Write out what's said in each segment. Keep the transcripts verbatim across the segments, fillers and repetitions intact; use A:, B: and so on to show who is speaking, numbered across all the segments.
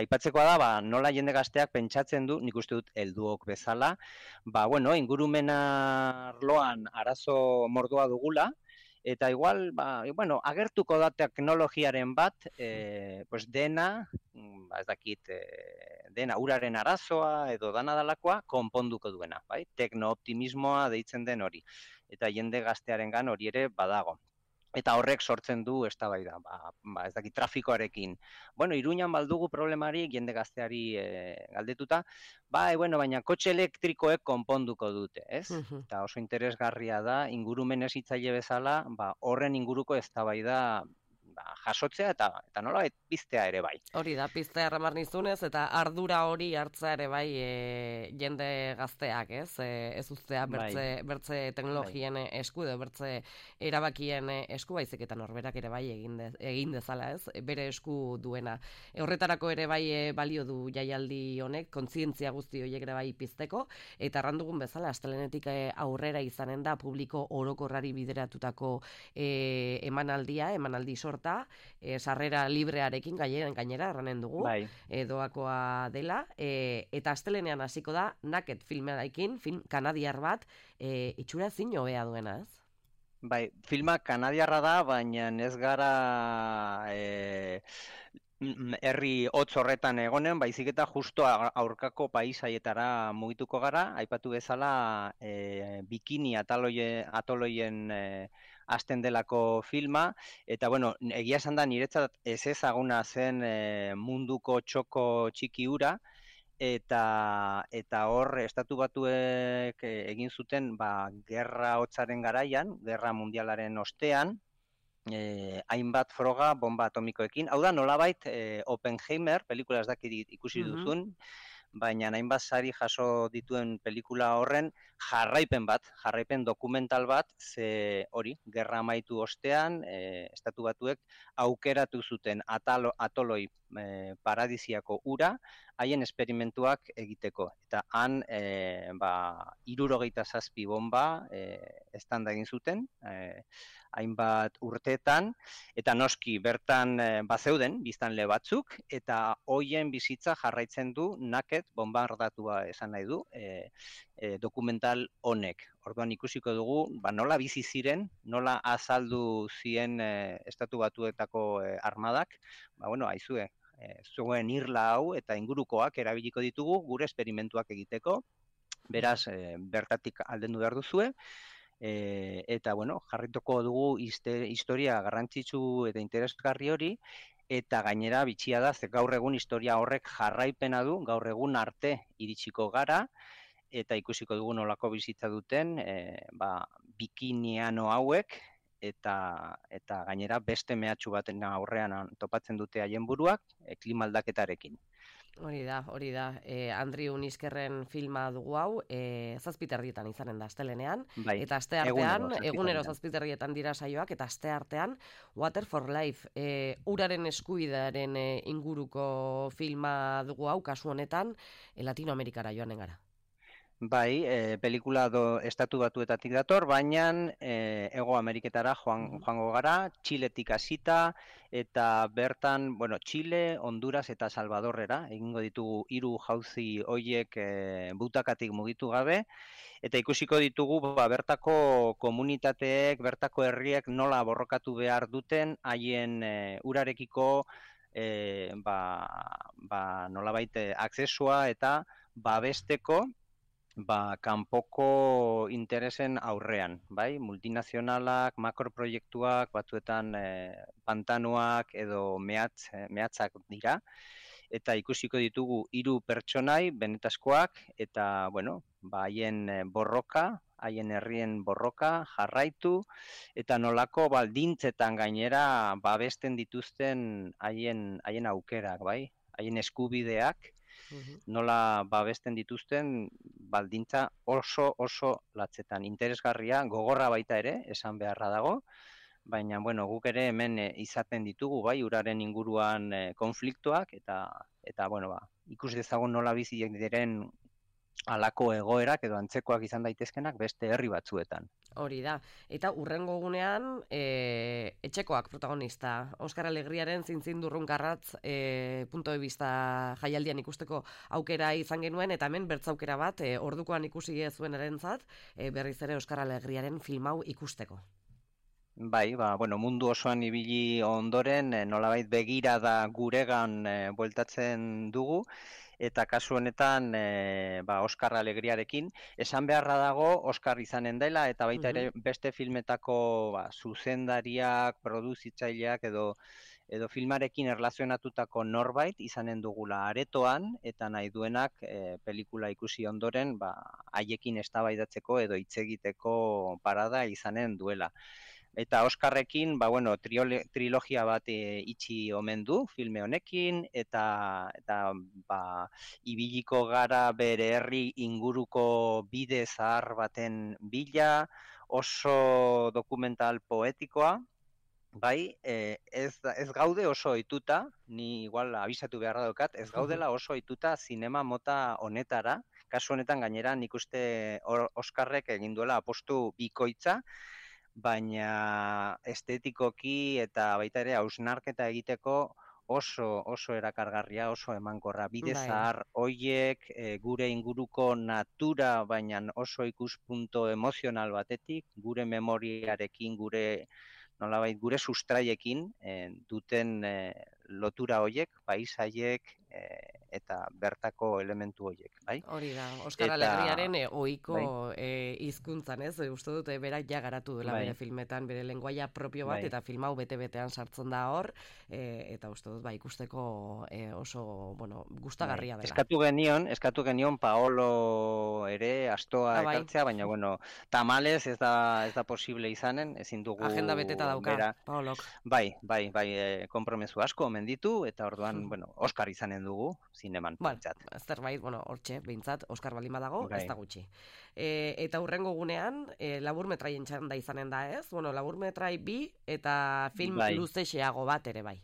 A: Aipatzekoa da, ba, nola jende gazteak pentsatzen du, nik uste dut helduok bezala, ba, bueno, ingurumena arloan arazo mordoa dugula, eta igual, ba, bueno, agertuko da teknologiaren bat, e, pues dena, ba, ez dakit, e, dena uraren arazoa edo dana dalakoa konponduko duena, bai? Tekno-optimismoa deitzen den hori. Eta jende gaztearengan hori ere badago. Eta horrek sortzen du eztabaida, ba, ba, ez dakit, trafikoarekin. Bueno, Iruñan baldugu problemari jende gazteari e, galdetuta, bai, bueno, baina kotxe elektrikoek konponduko dute, ez?
B: Mhm.
A: Eta oso interesgarria da, ingurumen hezitzaile bezala, ba, horren inguruko eztabaida ba, jasotzea eta eta nolabait piztea ere bai.
B: Hori da, piztea erramar nizunez, eta ardura hori hartza ere bai e, jende gazteak, ez? E, ez uztea bertze,
A: Bai.
B: bertze teknologien esku edo bertze erabakien esku, baizik eta norberak ere bai egin, de, egin dezala, ez? Bere esku duena. E, horretarako ere bai e, balio du jaialdi honek, kontzientzia guzti horiek ere bai pizteko, eta errandugun bezala, astelenetik e, aurrera izanen da publiko orokorrari bideratutako e, emanaldia, emanaldi sorta, E, sarrera librearekin gainera, gainera erranen dugu,
A: Bai.
B: e, doakoa dela, e, eta astelenean hasiko da Naked filmearekin, film kanadiar bat, e, itxura zin hobea duena, ez?
A: Bai, filma kanadiarra da, baina ez gara e, herri hotz horretan egonen, baizik eta justo aurkako paisaietara mugituko gara, aipatu bezala e, bikini ataloie, atoloien e, hasten delako filma, eta bueno, egia esan da niretzat ez ezaguna zen e, munduko txoko txiki hura, eta eta hor estatu batuek egin zuten ba, gerra hotzaren garaian, gerra mundialaren ostean, eh, hainbat froga bomba atomikoekin. Hau da, nolabait eh, Oppenheimer, pelikula ez dakit ikusi
B: Mhm.
A: duzun, baina hainbat sari jaso dituen pelikula horren jarraipen bat, jarraipen dokumental bat, ze hori, gerra amaitu ostean, e, estatu batuek aukeratu zuten atalo, atoloi e, paradisiako ura, haien esperimentuak egiteko. Eta han, e, ba, hirurogeita zazpi bomba e, estanda egin zuten, e, hainbat urteetan, eta noski bertan e, bazeuden biztanle batzuk, eta hoien bizitza jarraitzen du Naked bombardatua esan nahi du e, e, dokumental honek. Orduan ikusiko dugu, ba, nola bizi ziren, nola azaldu zien e, estatu batuetako e, armadak, ba, bueno, aizue, e, zuen irla hau eta ingurukoak erabiliko ditugu gure esperimentuak egiteko, beraz, e, bertatik aldendu behar duzue, E, eta, bueno, jarrituko dugu izte, historia garrantzitsu eta interesgarri hori, eta gainera bitxia da, ze gaur egun historia horrek jarraipena du, gaur egun arte iritsiko gara, eta ikusiko dugu nolako bizitza duten, e, ba, bikiniano hauek, eta eta gainera beste mehatxu baten aurrean topatzen dute haien buruak, e, klima aldaketarekin.
B: Hori da, hori da. E, Andriu Niskerren filma dugu hau, e, zazpiterrietan izanen da astelenean,
A: Bai,
B: eta aste artean,
A: egunero
B: egunero
A: zazpiterrietan.
B: zazpiterrietan dira saioak, eta aste artean Water for Life, e, uraren eskubidearen e, inguruko filma dugu hau, kasu honetan, e, Latinoamerikara joanen gara.
A: Bai, e, pelikula do estatu batuetatik dator, baina e, Hego Ameriketara joan, joango gara, Txiletik hasita, eta bertan, bueno, Txile, Honduras eta Salvadorrera, egingo ditugu hiru jauzi hoiek e, butakatik mugitu gabe, eta ikusiko ditugu ba, bertako komunitateek, bertako herriek nola borrokatu behar duten, haien e, urarekiko e, ba, ba, nolabait aksesua eta babesteko, ba, kanpoko interesen aurrean, bai? Multinazionalak, makroproiektuak, batzuetan e, pantanoak edo mehatz, mehatzak dira, eta ikusiko ditugu hiru pertsonai benetazkoak, eta, bueno, ba, haien borroka, haien herrien borroka jarraitu, eta nolako baldintzetan gainera babesten dituzten haien, haien aukerak, bai? Haien eskubideak, nola babesten dituzten baldintza oso oso latzetan. Interesgarria, gogorra baita ere, esan beharra dago, baina bueno, guk ere hemen e, izaten ditugu, bai, uraren inguruan e, konfliktoak, eta eta bueno, ba, ikus dezagun nola biziek diren halako egoerak edo antzekoak izan daitezkenak beste herri batzuetan.
B: Hori da. Eta urrengo gunean, e, etxekoak protagonista. Oskar Alegriaren zintzindurrunkarratz e, punto de vista jaialdian ikusteko aukera izan genuen, eta hemen bertzaukera bat, e, ordukoan ikusi zuen erentzat, e, berriz ere Oskar Alegriaren film hau ikusteko.
A: Bai, ba, bueno, mundu osoan ibili ondoren, e, nolabait begirada guregan e, bueltatzen dugu, eta kasu honetan e, ba, Oskar Alegriarekin. Esan beharra dago Oskar izanen dela, eta baita ere beste filmetako ba, zuzendariak, produzitzaileak edo edo filmarekin erlazionatutako norbait izanen dugula aretoan, eta nahi duenak e, pelikula ikusi ondoren ba, haiekin eztabaidatzeko edo hitz egiteko parada izanen duela. Eta Oskarrekin, ba, bueno, triole, trilogia bat e, itxi omen du filme honekin, eta, eta ba, ibiliko gara bere herri inguruko bide zahar baten bila, oso dokumental poetikoa, bai, e, ez, ez gaude oso ohituta, ni igual abisatu beharra daukat, ez gaudela oso ohituta zinema mota honetara, kasu honetan gainera nik uste Oskarrek egin duela apostu bikoitza, baina estetikoki eta baita ere hausnarketa egiteko oso oso erakargarria, oso emankorra. Bide zahar hoiek e, gure inguruko natura, baina oso ikuspunto emozional batetik, gure memoriarekin, gure nolabait gure sustraiekin e, duten e, lotura hoiek, paisaiek e, eta bertako elementu hoiek, bai?
B: Hori da, Oskar Alegriaren e, ohiko bai. e, hizkuntzan, ez? Uste dute berak ja garatu dela bai. Bere filmetan, bere lenguaia propio bat, bai. Eta film hau bete-betean sartzen da hor, e, eta uste dut, ba, ikusteko e, oso, bueno, gustagarria bai. dela.
A: Eskatu genion, eskatu genion Paolo ere astoa ah, bai. ekartzea, baina, bueno, tamales ez da, ez da posible izanen, ezin dugu...
B: Agenda beteta dauka, bera. Paolok.
A: Bai, bai, bai, e, kompromezu asko omen ditu, eta orduan, hmm. bueno, Oskar izanen dugu, zineman.
B: Bueno, zerbait, bueno, hortxe, behintzat, Oskar baldin badago, ez da gutxi. E, eta hurrengo gunean, e, labur metraien txanda izanen da, ez? Bueno, labur metrai bi eta film bai. luzexeago bat ere bai.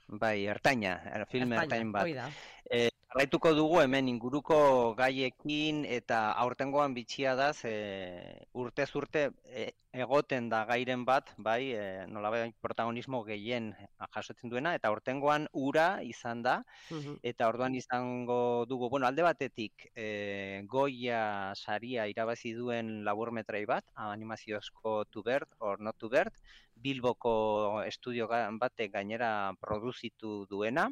A: Bai, ertaina, er, film ertaina, ertain bat.
B: Oida.
A: E, Jarraituko dugu hemen inguruko gaiekin eta aurtengoan bitxia da, e, urtez urte e, egoten da gairen bat, bai, e, nolabait protagonismo gehien jasotzen duena, eta aurtengoan ura izan da, uh-huh. eta orduan izango dugu, bueno, alde batetik e, Goya saria irabazi duen laburmetrai bat, animaziozko To Bird or Not To Bird, Bilboko estudio batek gainera produzitu duena,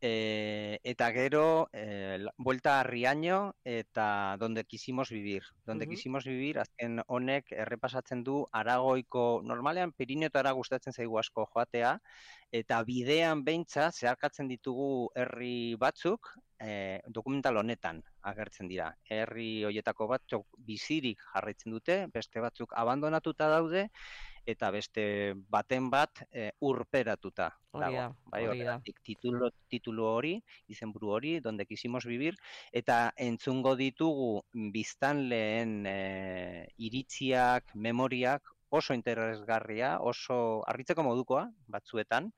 A: E, eta gero, e, Vuelta a Riaño eta Donde Quisimos Vivir. Donde uh-huh. Quisimos Vivir, azken honek errepasatzen du Aragoiko, normalean Pirinetara gustatzen zaigu asko joatea, eta bidean beintza zeharkatzen ditugu herri batzuk, e, dokumental honetan agertzen dira. Herri hoietako batzuk bizirik jarraitzen dute, beste batzuk abandonatuta daude, eta beste baten bat e, urperatuta dago. Bai, horregatik titulo, titulo hori, izenburu hori, Donde Quisimos Vivir, eta entzungo ditugu biztanleen e, iritziak, memoriak, oso interesgarria, oso harritzeko modukoa, batzuetan,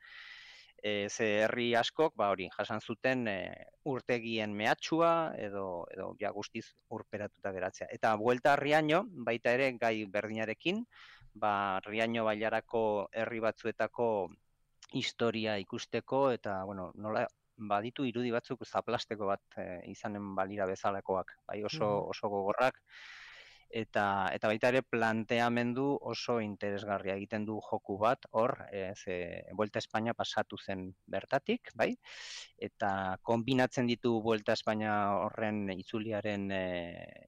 A: e, ze herri askok, ba hori, jasan zuten e, urtegien mehatxua, edo, edo ja guztiz urperatuta geratzea. Eta Vuelta a Riaño, baita ere gai berdinarekin, ba, Riaño bailarako herri batzuetako historia ikusteko, eta, bueno, nola, baditu irudi batzuk zaplasteko bat e, izanen balira bezalakoak, bai, oso, oso gogorrak, eta, eta baita ere planteamendu oso interesgarria egiten du joku bat, hor, e, ze Vuelta a España pasatu zen bertatik, bai, eta kombinatzen ditu Vuelta a España horren itzuliaren e,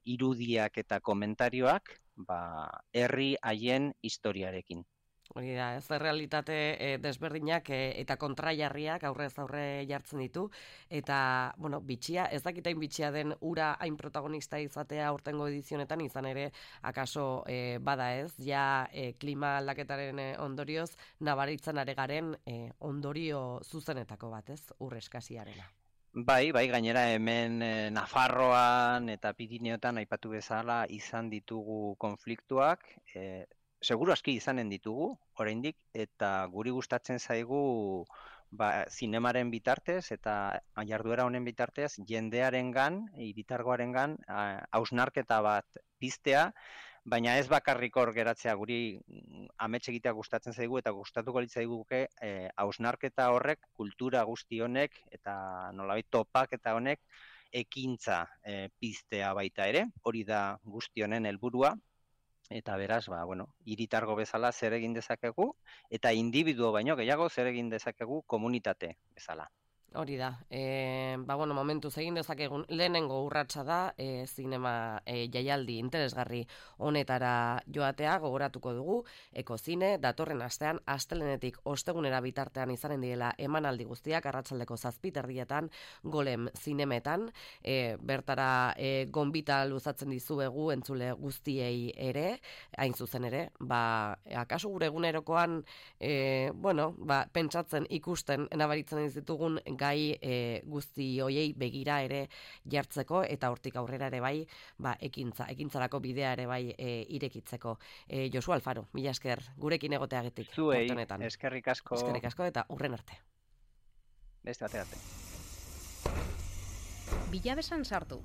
A: irudiak eta komentarioak, ba, herri haien historiarekin.
B: Hori da, ez realitate e, desberdinak e, eta kontraiarriak aurrez aurre jartzen ditu, eta, bueno, bitxia, ez dakitain bitxia den ura hain protagonista izatea aurtengo edizionetan, izan ere, akaso e, bada ez, ja e, klima aldaketaren e, ondorioz, nabaritzen aregaren e, ondorio zuzenetako bat ez, ur eskasiarena.
A: Bai, bai, gainera hemen e, Nafarroan eta Pirineotan aipatu bezala izan ditugu konfliktuak, e, seguru aski izanen ditugu, oraindik, eta guri gustatzen zaigu ba, zinemaren bitartez eta jarduera honen bitartez jendearengan, hiritargoarengan hausnarketa bat piztea, baina ez bakarrik hor geratzea, guri amets egitea gustatzen zaigu eta gustatuko litzaiguke hausnarketa horrek, kultura guzti honek eta nolabait topaketa honek ekintza e, piztea baita ere, hori da guzti honen helburua. Eta beraz, ba, bueno, hiritargo bezala zer egin dezakegu, eta individuo baino gehiago zer egin dezakegu komunitate bezala.
B: Hori da, e, ba, bueno, momentuz egin dezakegun lehenengo urratsa da e, zinema e, jaialdi interesgarri honetara joatea, gogoratuko dugu, Ekozine datorren astean astelehenetik ostegunera bitartean izanen direla emanaldi guztiak arratsaldeko zazpiterrietan Golem zinemetan, e, bertara e, gonbita luzatzen dizuegu entzule guztiei ere, hain zuzen ere, ba, akaso gure egunerokoan, e, bueno, ba, pentsatzen ikusten nabaritzen ez ditugun gai e, guzti hoiei begira ere jartzeko eta hortik aurrera ere bai, ba, ekintza, ekintzarako bidea ere bai e, irekitzeko. E, Josu Alfaro, mila esker gurekin egoteagatik.
A: Zuei, eskerrik asko.
B: Eskerrik asko eta hurren arte.
A: Beste arte arte.
C: Bilabesan sartu.